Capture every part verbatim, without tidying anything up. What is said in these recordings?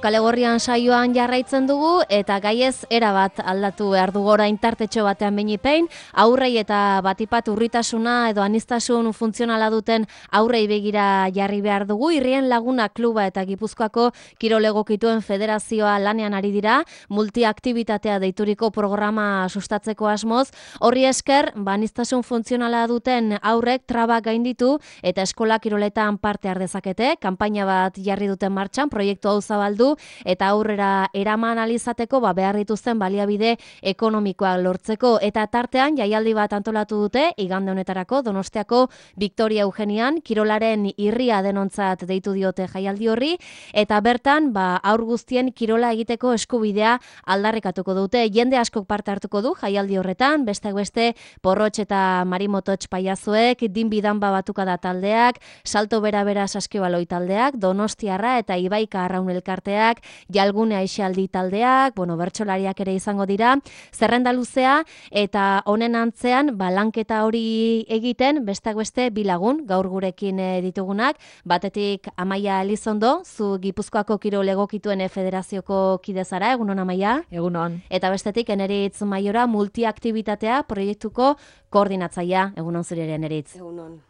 Kalegorrian saioan jarraitzen dugu eta gaiez erabat aldatu behar dugu orain tartetxo batean beinipein, aurrei eta batipat urritasuna edo anistasun funtzionala duten aurrei begira jarri behar dugu. Irrien Laguna Kluba eta Gipuzkoako kirol egokituen federazioa lanean ari dira, multiaktibitatea deituriko programa sustatzeko asmoz. Horri esker, ba, anistasun funtzionala duten aurrek traba gainditu eta eskola kiroletan parte har dezakete. Kanpaina bat jarri duten martxan, proiektu hau zabaldu eta aurrera eraman alizateko ba, behar dituzten baliabide ekonomikoak lortzeko. Eta tartean jaialdi bat antolatu dute, igande honetarako Donostiako Victoria Eugenian, kirolaren irria denontzat deitu diote jaialdi horri, eta bertan ba, aur guztien kirola egiteko eskubidea aldarrikatuko dute. Jende askok parte hartuko du jaialdi horretan, beste beste Porrotx eta Marimototx paiazuek, dinbidanba batuka da taldeak, salto bera-bera saskibaloi taldeak, Donostiarra eta Ibaika Arraun elkarteak, Jalgune Aixaldi taldeak, bueno, bertsolariak ere izango dira, zerrenda luzea eta honen antzean ba, lanketa hori egiten besteak beste bilagun gaur gurekin e, ditugunak, batetik Amaia Elizondo, zu Gipuzkoako kirol egokituen federazioko kide zara, egunon Amaia? Egunon. Eta bestetik Eneritz Maiora multiaktibitatea proiektuko koordinatzaia, egunon zure ere Eneritz. Egunon.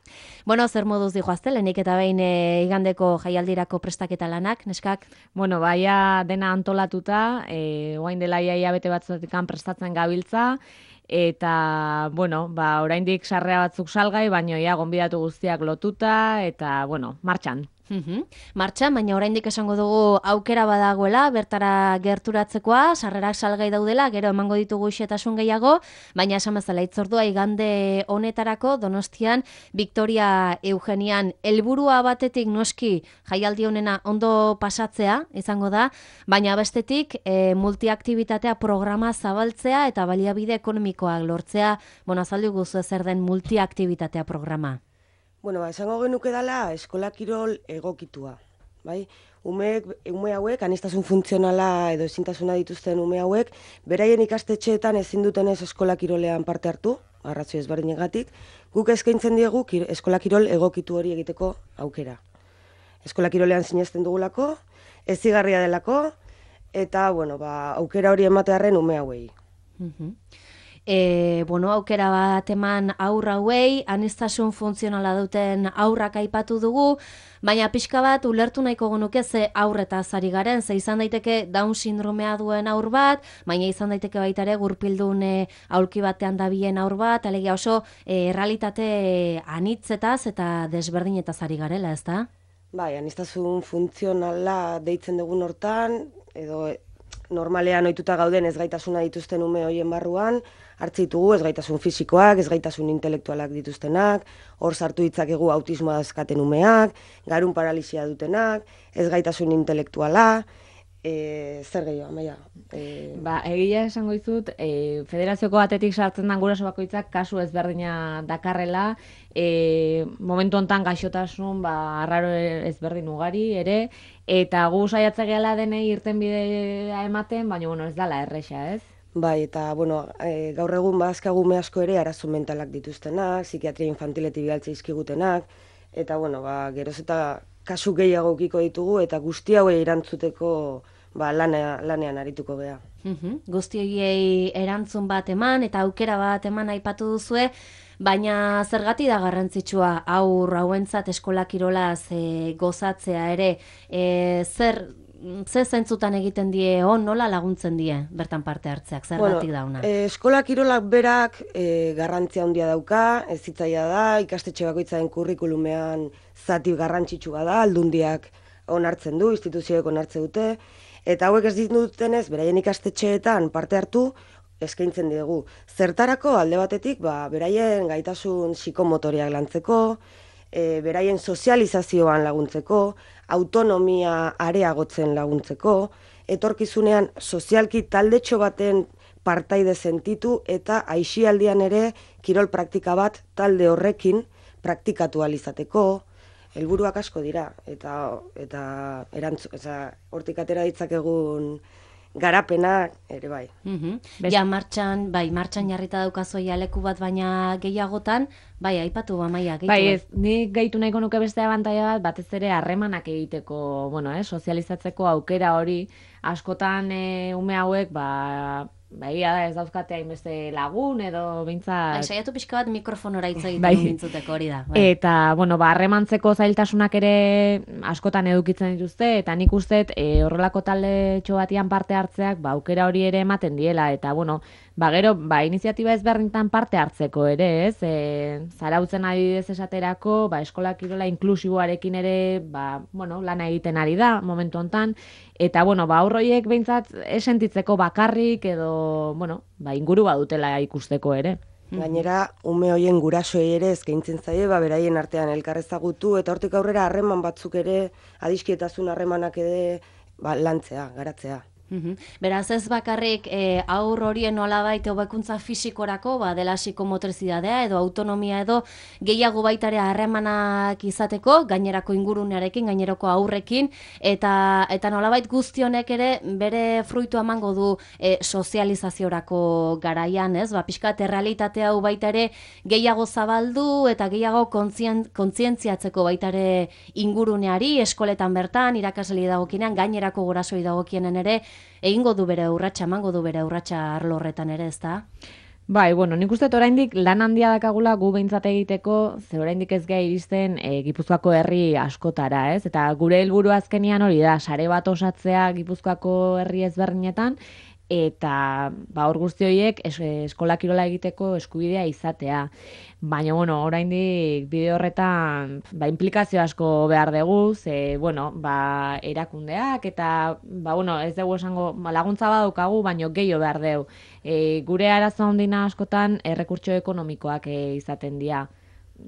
Bueno, zer moduz dijoazte, lehenik eta behin e, igandeko jaialdirako prestaketa lanak, neskak? Bueno, baia dena antolatuta, e, oain dela iaia bete batzuetik prestatzen gabiltza, eta, bueno, ba, oraindik sarrea batzuk salgai, baino ia gonbidatu guztiak lotuta, eta, bueno, martxan. Uhum. Martxan, baina oraindik esango dugu aukera badagoela, bertara gerturatzekoa, sarrerak salgai daudela, gero emango ditugu xetasun gehiago, baina esan bezala itzordua igande honetarako Donostian Victoria Eugenian helburua batetik noski jaialdi honena ondo pasatzea izango da, baina bestetik e, multiaktibitatea programa zabaltzea eta baliabide ekonomikoak lortzea, bueno, azaldu guzu zer den multiaktibitatea programa. Bueno, ba, esango genuke dela eskola kirol egokitua, bai? Umeek, ume hauek, anistasun funtzionala edo ezintasuna dituzten ume hauek, beraien ikastetxeetan ezin dutenez eskola kirolean parte hartu, arrazio ezberdinagatik, guk eskaintzen diegu kir, eskola kirol egokitu hori egiteko aukera. Eskola kirolean sinesten dugulako, ezigarria delako, eta, bueno, ba, aukera hori ematearren ume hauei. Mhm. E, bueno, aukera bat eman aurra hauei, anistasun funtzionala duten aurrak aipatu dugu, baina pixka bat ulertu nahiko genuke ze aurretaz ari garen, ze izan daiteke Down sindromea duen aur bat, baina izan daiteke baita ere gurpildun e, aulki batean dabien aur bat, alegia oso e, errealitate anitzetaz eta desberdinetaz ari garela, ezta? Bai, anistasun funtzionala deitzen dugun hortan, edo normalean ohituta gauden ezgaitasuna dituzten ume hoien barruan, hartze ditugu ezgaitasun fisikoak, ezgaitasun intelektualak dituztenak, hor sartu ditzakegu autismoa dauzkaten umeak, garun paralisia dutenak, ezgaitasun intelektuala, e, zer gehiago, Amaia? E... Ba, egia esango dizut, e, federazioko batetik sartzen den guraso bakoitzak kasu ezberdina dakarrela, e, momentu hontan gaixotasun ba, arraro ezberdin ugari ere, eta gu saiatzen gehala denei irtenbidea ematen, baina bueno, ez dala erresa, ez? Bai, eta bueno, e, gaur egun badazkagume asko ere arazo mentalak dituztenak, psikiatria infantiletik bialtze izkigutenak, eta bueno, ba, geroz eta kasu gehiago ukiko ditugu, eta guzti hauei erantzuteko ba, lanea, lanean arituko gea. Uhum. Guzti horiei erantzun bat eman eta aukera bat eman aipatu duzue, baina zergati da garrantzitsua aur hauentzat eskola kirolaz e, gozatzea ere, e, zer ze zentzutan egiten die on, nola laguntzen die bertan parte hartzeak, zergatik bueno, dauna? E, eskola kirolak berak e, garrantzia handia dauka, ez zitzaia da, ikastetxe bakoitzaren kurrikulumean zati garrantzitsua da, aldundiak onartzen du, instituzioek onartzen dute, eta hauek ez ditutenez, beraien ikastetxeetan parte hartu, eskaintzen diegu. Zertarako alde batetik, ba, beraien gaitasun psikomotoriak lantzeko, e, beraien sozializazioan laguntzeko, autonomia areagotzen laguntzeko, etorkizunean sozialki taldetxo baten partaide sentitu eta aisialdian ere kirol praktika bat talde horrekin praktikatu alizateko, helburuak asko dira, eta eta erantzu, eta hortik atera ditzakegun garapenak ere bai. Mm Ja, martxan, bai, martxan jarrita daukazoia leku bat, baina gehiagotan, bai, aipatu ba, Maia, gehitu. Bai, ez, ni gehitu nahiko nuke beste abantaila bat, batez ere harremanak egiteko, bueno, eh, sozializatzeko aukera hori, askotan e, ume hauek, ba, ba, egia da ez dauzkate hainbeste lagun edo behintzat... Bai, saiatu pixka bat mikrofonora hitz egiten bai. mintzuteko hori da. Bai. Eta, bueno, ba, harremantzeko zailtasunak ere askotan edukitzen dituzte, eta nik uste e, horrelako talde batian parte hartzeak, ba, aukera hori ere ematen diela, eta, bueno, ba, gero, ba, iniziatiba ezberdintan parte hartzeko ere, ez? E, zarautzen adibidez esaterako, ba, eskola kirola inklusiboarekin ere, ba, bueno, lana egiten ari da, momentu hontan, eta, bueno, ba, aurroiek behintzat esentitzeko bakarrik edo, bueno, ba, inguru badutela ikusteko ere. Gainera, ume hoien gurasoei ere eskaintzen zaie, ba, beraien artean elkar ezagutu, eta hortik aurrera harreman batzuk ere, adiskietasun harremanak ere, ba, lantzea, garatzea. Uhum. Beraz ez bakarrik e, aur horien nolabait hobekuntza fisikorako, ba, dela psikomotrizidadea edo autonomia edo gehiago baitare harremanak izateko, gainerako ingurunearekin, gainerako aurrekin, eta eta nolabait guztionek ere bere fruitu emango du e, sozializaziorako garaian, ez? Ba, pixkat errealitatea hau baitare gehiago zabaldu eta gehiago kontzien, kontzientziatzeko baitare inguruneari, eskoletan bertan, irakaslei dagokinean, gainerako gurasoi dagokienen ere, egingo du bere urratsa, emango du bere urratsa arlo horretan ere, ezta? Bai, bueno, nik uste oraindik lan handia dakagula gu behintzat egiteko, ze oraindik ez geha iristen e, Gipuzkoako herri askotara, ez? Eta gure helburu azkenian hori da, sare bat osatzea Gipuzkoako herri ezberdinetan, eta ba, hor guzti horiek es, eskola kirola egiteko eskubidea izatea. Baina, bueno, oraindik bide horretan ba, implikazio asko behar dugu, ze, bueno, ba, erakundeak, eta, ba, bueno, ez dugu esango, ba, laguntza badaukagu, baina gehiago behar dugu. E, gure arazo handina askotan errekurtso ekonomikoak e, izaten dira.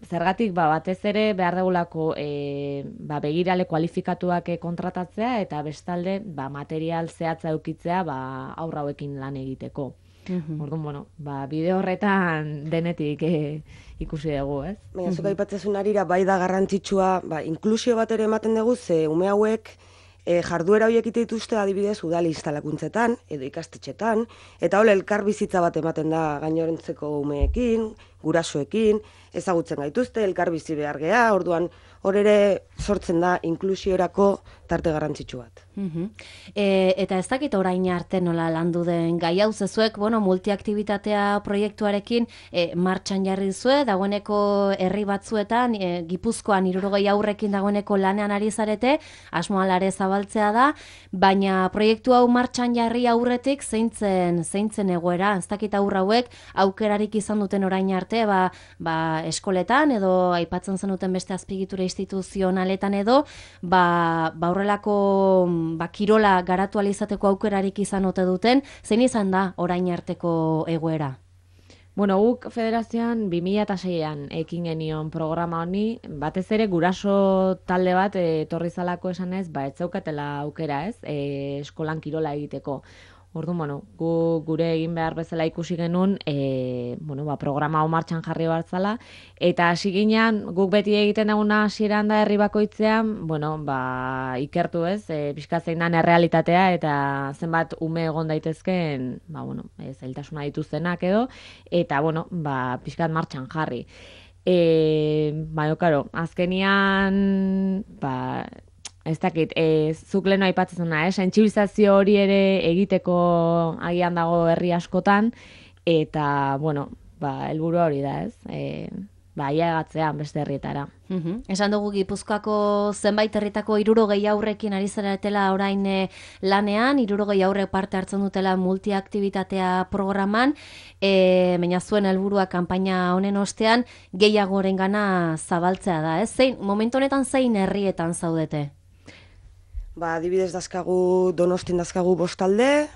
Zergatik, ba, batez ere behar dugulako e, ba, begirale kualifikatuak kontratatzea eta bestalde ba, material zehatza eukitzea ba, aurra hauekin lan egiteko. Mm-hmm. Orduan, bueno, ba, bide horretan denetik e, ikusi dugu, ez? Baina, zuk aipatzen arira, bai da garrantzitsua, ba, inklusio bat ere ematen dugu, ze ume hauek e, jarduera horiek ite dituzte adibidez udal instalakuntzetan edo ikastetxetan, eta hola elkar bizitza bat ematen da gainorentzeko umeekin, gurasoekin, ezagutzen gaituzte, elkar bizi behar gea, orduan hor ere sortzen da inklusiorako tarte garrantzitsu bat. Uh-huh. E, eta ez dakit orain arte nola landu den gai hau zezuek, bueno, multiaktibitatea proiektuarekin e, martxan jarri zue, dagoeneko herri batzuetan, e, Gipuzkoan hirurogei aurrekin dagoeneko lanean ari zarete, asmoalare zabaltzea da, baina proiektu hau martxan jarri aurretik zeintzen, zeintzen egoera, ez dakit aurra hauek aukerarik izan duten orain arte, ba, ba eskoletan edo aipatzen zenuten beste azpigitura instituzionaletan edo, ba, ba horrelako ba, kirola garatu alizateko aukerarik izan ote duten, zein izan da orain arteko egoera? Bueno, guk federazioan bi mila seian ekin genion programa honi, batez ere guraso talde bat etorri zalako esanez, ba, ez zaukatela aukera, ez, e, eskolan kirola egiteko. Orduan, bueno, gu, gure egin behar bezala ikusi genuen, e, bueno, ba, programa hau martxan jarri bartzala, eta hasi ginean, guk beti egiten duguna hasieran da herri bakoitzean, bueno, ba, ikertu ez, e, pixka zein dan errealitatea, eta zenbat ume egon daitezken, ba, bueno, e, zailtasuna dituztenak edo, eta, bueno, ba, pixkat martxan jarri. E, ba, karo, azkenian, ba, ez dakit, e, zuk leheno aipatzen zuna, eh? Sentsibilizazio hori ere egiteko agian dago herri askotan, eta, bueno, ba, helburu hori da, ez? E, ba, ailegatzean beste herrietara. Uhum. Esan dugu Gipuzkoako zenbait herritako hirurogei aurrekin ari zaretela orain e, lanean, hirurogei aurre parte hartzen dutela multiaktibitatea programan, e, baina zuen helburua kanpaina honen ostean gehiagorengana zabaltzea da, ez? Zein, momentu honetan zein herrietan zaudete? Ba, adibidez dazkagu Donostin dazkagu bostalde,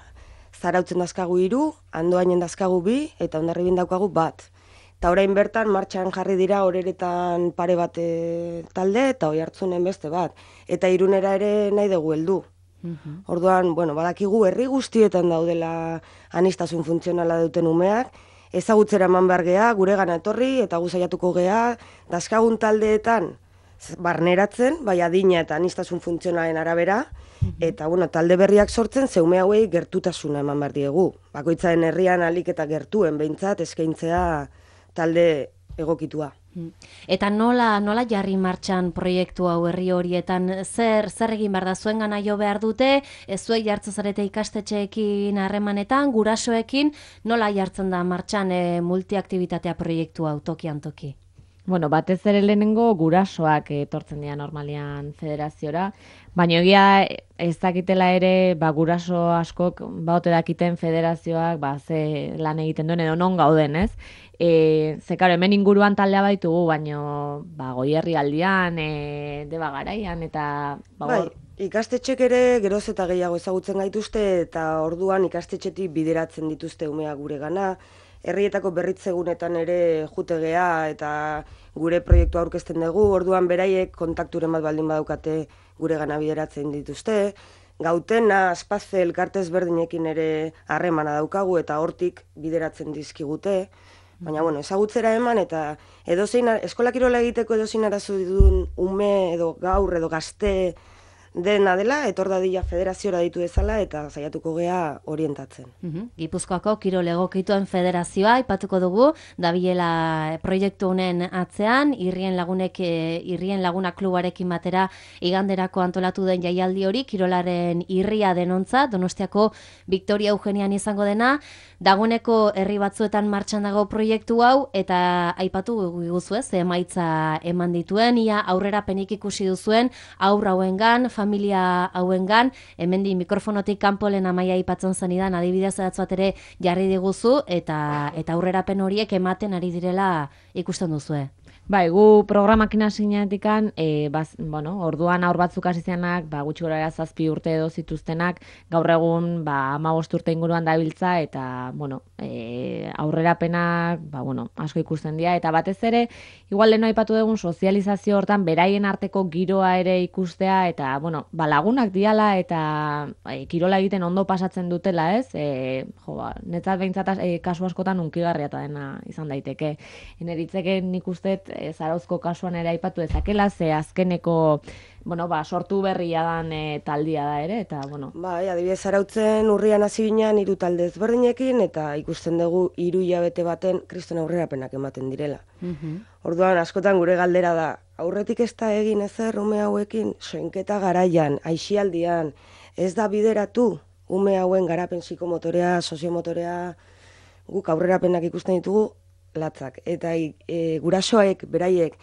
Zarautzen dazkagu hiru, Andoainen dazkagu bi, eta Hondarribian daukagu bat. Eta orain bertan martxan jarri dira horeretan pare bat e, talde, eta Oiartzunen beste bat. Eta Irunera ere nahi dugu heldu. Uh-huh. Orduan, bueno, badakigu herri guztietan daudela aniztasun funtzionala duten umeak, ezagutzera eman behar gea, gure gana etorri, eta gu saiatuko gea, dazkagun taldeetan, barneratzen, bai adina eta aniztasun funtzionalen arabera, eta bueno, talde berriak sortzen zeume hauei gertutasuna eman behar diegu. Bakoitzaren herrian alik eta gertuen behintzat eskaintzea talde egokitua. Eta nola nola jarri martxan proiektu hau herri horietan, zer zer egin behar da, zuengana jo behar dute, ez zuei jartzen zarete ikastetxeekin harremanetan, gurasoekin, nola jartzen da martxan e, multiaktibitatea proiektu hau tokian toki? Bueno, batez ere lehenengo gurasoak etortzen dira normalian federaziora, baina egia ez dakitela ere, ba, guraso askok baote dakiten federazioak ba, ze lan egiten duen edo non gauden, ez? E, ze, karo, hemen inguruan taldea baitugu, baina ba, Goierri aldian, e, Deba Garaian, eta... Ba, bai, ikastetxek ere geroz eta gehiago ezagutzen gaituzte, eta orduan ikastetxetik bideratzen dituzte umea gure gana, herrietako berritzegunetan ere jutegea eta gure proiektu aurkezten dugu, orduan beraiek kontakturen bat baldin badaukate gure gana bideratzen dituzte. Gautena, Aspazze elkarte ezberdinekin ere harremana daukagu eta hortik bideratzen dizkigute. Baina, bueno, ezagutzera eman eta edozein, eskola kirola egiteko edozein arazo duen ume edo gaur edo gazte dena dela, etor dadila federaziora ditu dezala eta saiatuko gea orientatzen. Uhum. Gipuzkoako kirol egokituen federazioa aipatuko dugu, dabilela proiektu honen atzean, irrien lagunek, irrien laguna klubarekin batera iganderako antolatu den jaialdi hori, kirolaren irria denontzat, Donostiako Victoria Eugenian izango dena, dagoeneko herri batzuetan martxan dago proiektu hau, eta aipatu guguzu ez, emaitza eman dituen, ia aurrerapenik ikusi duzuen, aurra hauengan, familia hauengan, hemendi mikrofonotik kanpolen Amaia aipatzen zenidan, adibidez edatz bat ere jarri diguzu, eta eta aurrerapen horiek ematen ari direla ikusten duzue. Bai, gu programakin hasineatikan, e, baz, bueno, orduan aur batzuk hasi zianak, ba, gutxi gorara zazpi urte edo zituztenak, gaur egun ba, hamabost urte inguruan dabiltza, eta bueno, e, aurrerapenak ba, bueno, asko ikusten dira, eta batez ere, igual leheno aipatu dugun sozializazio hortan, beraien arteko giroa ere ikustea, eta bueno, ba, lagunak diala, eta e, kirola egiten ondo pasatzen dutela, ez? E, jo, ba, netzat behintzat e, kasu askotan unkigarria eta dena izan daiteke. Eneritzeke nik usteet, Zarauzko kasuan ere aipatu dezakela, ze azkeneko bueno, ba, sortu berria dan e, taldia da ere, eta bueno. Bai, adibidez Zarautzen urrian hasi ginen hiru talde ezberdinekin, eta ikusten dugu hiru hilabete baten kriston aurrerapenak ematen direla. Mhm. Orduan, askotan gure galdera da, aurretik ez da egin ezer ume hauekin, soinketa garaian, aisialdian, ez da bideratu ume hauen garapen psikomotorea, soziomotorea, guk aurrerapenak ikusten ditugu, latzak. Eta e, gurasoek, beraiek,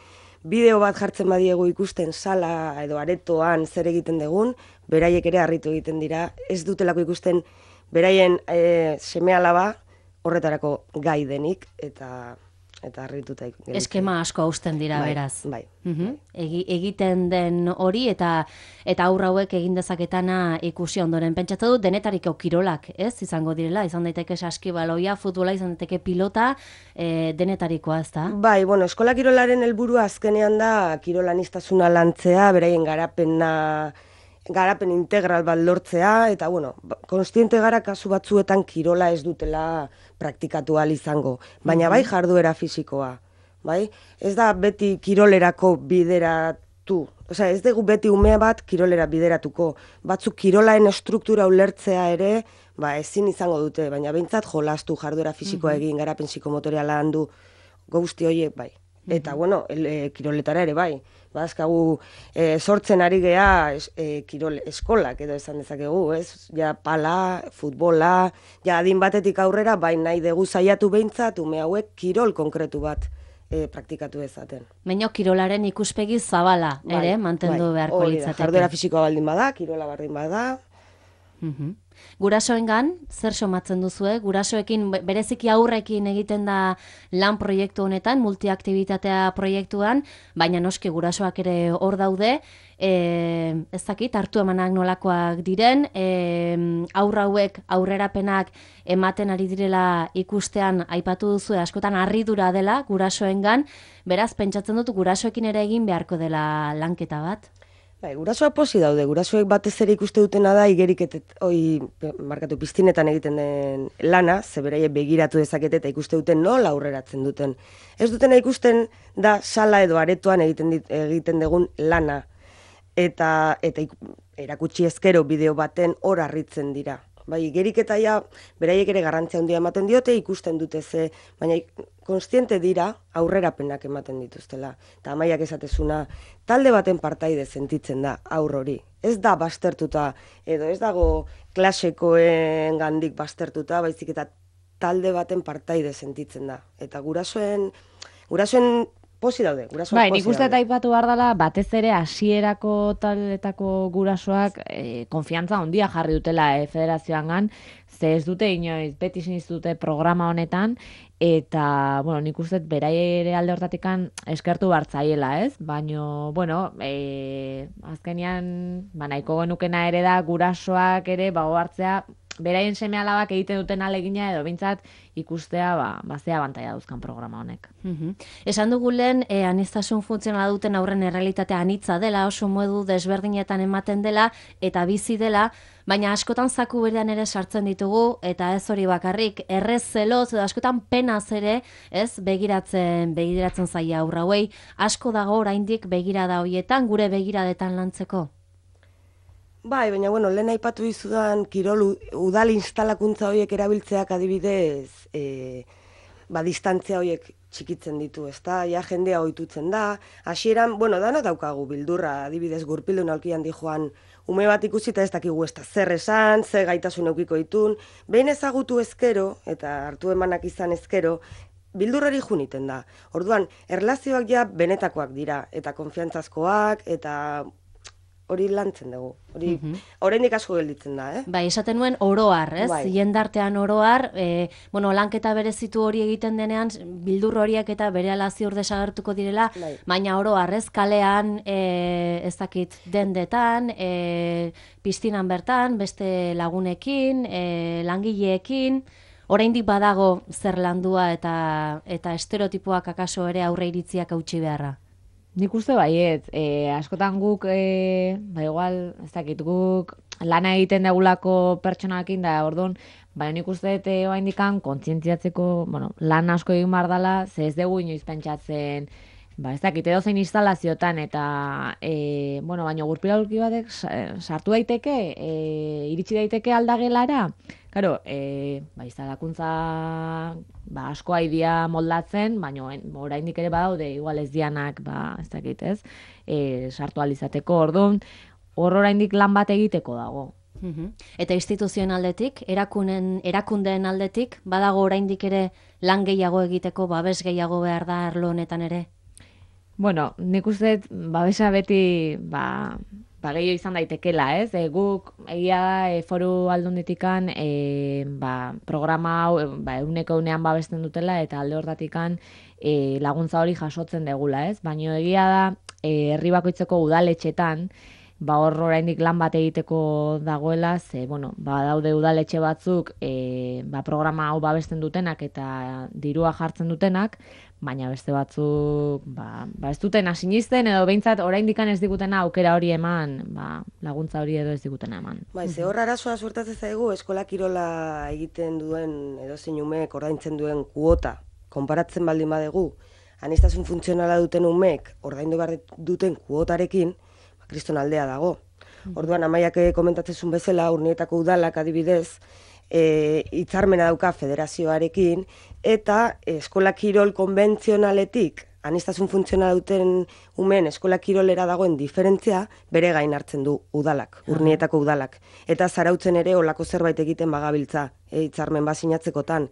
bideo bat jartzen badiegu ikusten sala edo aretoan zer egiten dugun, beraiek ere harritu egiten dira, ez dutelako ikusten beraien e, seme-alaba horretarako gai denik, eta eta harrituta gelditzen. Eskema asko hausten dira, bai, beraz. Bai. Uhum. Egi, egiten den hori eta eta aurra hauek egin dezaketana ikusi ondoren. Pentsatu dut denetariko kirolak, ez? Izango direla, izan daiteke saskibaloia, futbola, izan daiteke pilota, e, denetarikoa, ez da? Bai, bueno, eskola kirolaren helburua azkenean da kirolaniztasuna lantzea, beraien garapena garapen integral bat lortzea, eta bueno, konstiente gara kasu batzuetan kirola ez dutela praktikatu ahal izango, baina bai jarduera fisikoa, bai? Ez da beti kirolerako bideratu, osea, ez dugu beti umea bat kirolera bideratuko, batzuk kirolaen estruktura ulertzea ere, ba ezin izango dute, baina behintzat jolastu jarduera fisikoa egin, garapen psikomotorea landu, guzti horiek bai. Eta, bueno, el, e, kiroletara ere bai. Bazkagu e, sortzen ari gea es, e, kirol eskolak edo esan dezakegu, ez? Ja pala, futbola, ja adin batetik aurrera, bai nahi dugu saiatu behintzat, ume hauek kirol konkretu bat e, praktikatu dezaten. Meino kirolaren ikuspegi zabala, bai, ere, mantendu bai, beharko hori da, litzateke. jarduera fisikoa baldin bada, kirola baldin bada. Mhm. Gurasoengan, zer somatzen duzue? Gurasoekin, bereziki aurrekin egiten da lan proiektu honetan, multiaktibitatea proiektuan, baina noski gurasoak ere hor daude, e, ez dakit, hartu emanak nolakoak diren, e, aurra hauek aurrerapenak ematen ari direla ikustean aipatu duzue, askotan harridura dela gurasoengan, beraz, pentsatzen dut gurasoekin ere egin beharko dela lanketa bat? Bai, gurasoak posi daude, gurasoek batez ere ikuste dutena da igeriketet, oi, markatu piztinetan egiten den lana, ze beraiek begiratu dezakete eta ikuste duten nola aurreratzen duten. Ez dutena ikusten da sala edo aretoan egiten dit, egiten dugun lana, eta eta erakutsi ezkero bideo baten hor harritzen dira. Bai, igeriketa ja beraiek ere garrantzia handia ematen diote, ikusten dute ze, baina konstiente dira aurrerapenak ematen dituztela. Eta Amaiak esatezuna, talde baten partaide sentitzen da aur hori. Ez da bastertuta, edo ez dago klasekoen gandik bastertuta, baizik eta talde baten partaide sentitzen da. Eta gurasoen, gurasoen posi daude, gurasoak bai, posi nik uste daude. eta aipatu behar dela, batez ere hasierako taldetako gurasoak e, konfiantza handia jarri dutela e, federazioangan, ze ez dute inoiz, beti siniz dute programa honetan, eta, bueno, nik uste beraiei ere alde hortatikan eskertu bartzaiela, ez? Baina, bueno, e, azkenean, ba, nahiko genukena ere da gurasoak ere, ba, hartzea, beraien seme alabak egiten duten alegina edo bintzat ikustea ba, ba zea abantaila dauzkan programa honek. Mhm. Esan dugu lehen, e, aniztasun funtzionala duten aurren errealitatea anitza dela, oso modu desberdinetan ematen dela eta bizi dela, baina askotan zaku berean ere sartzen ditugu, eta ez hori bakarrik, errez zeloz, edo askotan penaz ere, ez, begiratzen, begiratzen zaia aurra hauei, asko dago oraindik begirada hoietan, gure begiradetan lantzeko. Bai, baina, bueno, lehen aipatu dizudan kirol udal instalakuntza horiek erabiltzeak adibidez, e, ba, distantzia horiek txikitzen ditu, ezta? Ja jendea ohitutzen da. Hasieran, bueno, dano daukagu bildurra, adibidez gurpildun aulkian di joan ume bat ikusita ez dakigu ezta zer esan, ze gaitasun edukiko ditun. Behin ezagutu ezkero eta hartu emanak izan ezkero, bildurrari juniten da. Orduan, erlazioak ja benetakoak dira, eta konfiantzazkoak, eta hori lantzen dugu. Hori, Mhm. oraindik asko gelditzen da, eh? Bai, esaten nuen oroar, ez? Bai. Jendartean oroar, e, bueno, lanketa berezitu hori egiten denean, bildur horiek eta berehala ziur desagertuko direla, Bai. baina oroar, ez? Kalean, e, ez dakit, dendetan, e, piztinan bertan, beste lagunekin, e, langileekin, oraindik badago zer landua eta eta estereotipoak akaso ere aurre iritziak hautsi beharra. Nik uste baiet, e, askotan guk, e, ba igual, ez dakit, guk lana egiten degulako pertsonakin da, orduan, baina nik uste dut e, oaindikan kontzientziatzeko, bueno, lan asko egin behar dela, ze ez dugu inoiz pentsatzen, ba ez dakit, edozein instalaziotan, eta, e, bueno, baina gurpiraulki batek sa- sartu daiteke, e, iritsi daiteke aldagelara, Karo, e, ba, instalakuntza ba, asko aidia moldatzen, baina oraindik ere badaude, igual ez dianak, ba, ez dakit ez, e, sartu alizateko, orduan, hor oraindik lan bat egiteko dago. Mhm. Eta instituzioen aldetik, erakunen, erakundeen aldetik, badago oraindik ere lan gehiago egiteko, babes gehiago behar da arlo honetan ere? Bueno, nik uste dut, babesa beti, ba, ba gehiago izan daitekela, ez? E, guk egia da e, foru aldunditikan e, ba, programa hau e, ba, euneko eunean babesten dutela eta alde hortatikan e, laguntza hori jasotzen degula, ez? Baina egia da e, herri bakoitzeko udaletxetan ba hor oraindik lan bat egiteko dagoela, ze bueno, ba daude udaletxe batzuk e, ba, programa hau babesten dutenak eta dirua jartzen dutenak, baina beste batzuk ba, ba ez dutena sinisten edo behintzat oraindikan ez digutena aukera hori eman, ba, laguntza hori edo ez digutena eman. Bai, ze hor arazoa suertatzen zaigu eskola kirola egiten duen edozein umeek ordaintzen duen kuota konparatzen baldin badegu, aniztasun funtzionala duten umeek ordaindu behar duten kuotarekin, ba, kriston aldea dago. Orduan Amaiak komentatzen zuen bezala, Urnietako udalak adibidez, e, hitzarmena dauka federazioarekin, eta eskola kirol konbentzionaletik aniztasun funtzionala duten umeen eskola kirolera dagoen diferentzia bere gain hartzen du udalak, Urnietako udalak. Eta Zarautzen ere olako zerbait egiten bagabiltza, e, hitzarmen bat sinatzekotan.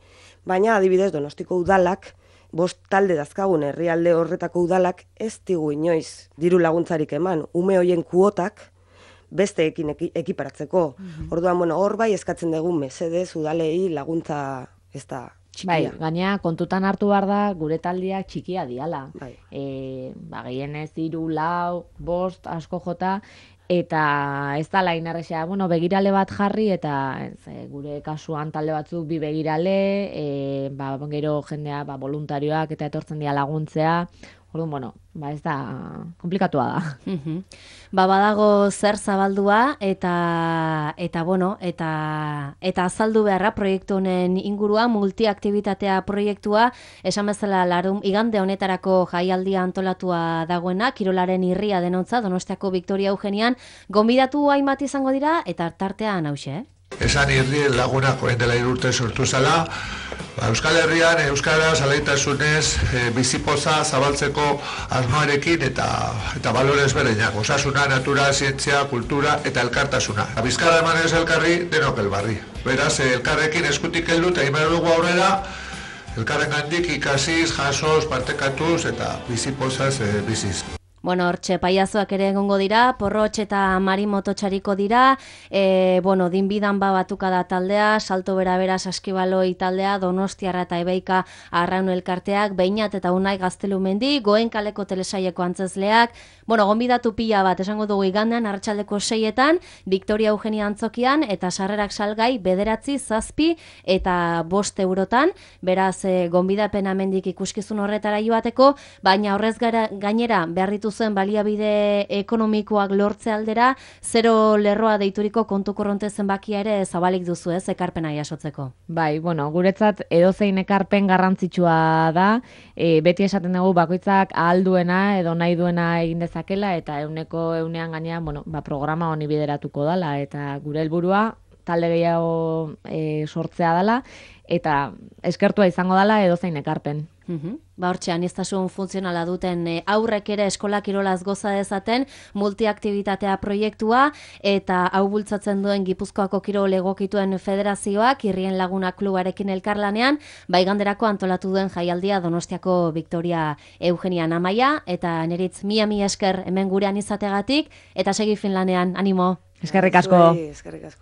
Baina adibidez Donostiko udalak, bost talde dazkagun herrialde horretako udalak ez digu inoiz diru laguntzarik eman, ume hoien kuotak besteekin eki, ekiparatzeko. Orduan, bueno, hor bai eskatzen dugu mesedez udalei laguntza ez da Bai, txikia. gainera kontutan hartu behar da gure taldeak txikia diala. Bai. E, ba, gehienez hiru, lau, bost, asko jota, eta ez da lain errexea, bueno, begirale bat jarri, eta ez, e, gure kasuan talde batzuk bi begirale, e, ba, gero jendea ba, voluntarioak eta etortzen dira laguntzea, Orduan, bueno, ba ez da, komplikatua da. Mhm. Ba badago zer zabaldua eta eta bueno, eta eta azaldu beharra proiektu honen ingurua, multiaktibitatea proiektua, esan bezala larun igande honetarako jaialdia antolatua dagoena, kirolaren irria denontza Donostiako Victoria Eugenian, gonbidatu hainbat izango dira eta tartean hauxe, eh? Esan irri lagunak orain dela hiru urte sortu zela, ba, Euskal Herrian euskara zalaitasunez e, bizipoza zabaltzeko asmoarekin eta eta balorez bereinak, osasuna, natura, zientzia, kultura eta elkartasuna. Bizkarra emanez elkarri denok elbarri. Beraz, elkarrekin eskutik heldu eta egin behar dugu aurrera, elkarren gandik ikasiz, jasoz, partekatuz eta bizipozaz e, biziz. Bueno, hortxe paiazoak ere egongo dira, Porrotx eta Mari mototxariko dira, e, bueno, dinbidan ba batuka da taldea, Salto Berabera Saskibaloi taldea, Donostiarra eta Ebeika Arraun elkarteak, Beinat eta Unai Gaztelumendi, Goen kaleko telesaieko antzezleak, bueno, gonbidatu pila bat, esango dugu igandean, arratsaldeko seietan, Victoria Eugenia antzokian, eta sarrerak salgai bederatzi, zazpi eta bost eurotan, beraz, e, gonbidapen amendik ikuskizun horretara joateko, baina horrez gara, gainera, beharritu zen baliabide ekonomikoak lortze aldera, zero lerroa deituriko kontu korronte zenbakia ere zabalik duzu ez, ekarpena jasotzeko. Bai, bueno, guretzat edozein ekarpen garrantzitsua da, e, beti esaten dugu bakoitzak ahal duena edo nahi duena egin dezakela, eta euneko eunean gainean, bueno, ba, programa honi bideratuko dala, eta gure helburua talde gehiago e, sortzea dela, eta eskertua izango dela edozein ekarpen. Uhum. Ba hortxe, aniztasun funtzionala duten e, aurrek ere eskola kirolaz goza dezaten multiaktibitatea proiektua eta hau bultzatzen duen Gipuzkoako kirol egokituen federazioak Irrien Laguna klubarekin elkarlanean, baiganderako antolatu duen jaialdia Donostiako Victoria Eugenia Amaia eta neritz mia mila esker hemen gurean izategatik eta segi Finlanean, animo. Eskerrik asko. Zuei, eskerrik asko.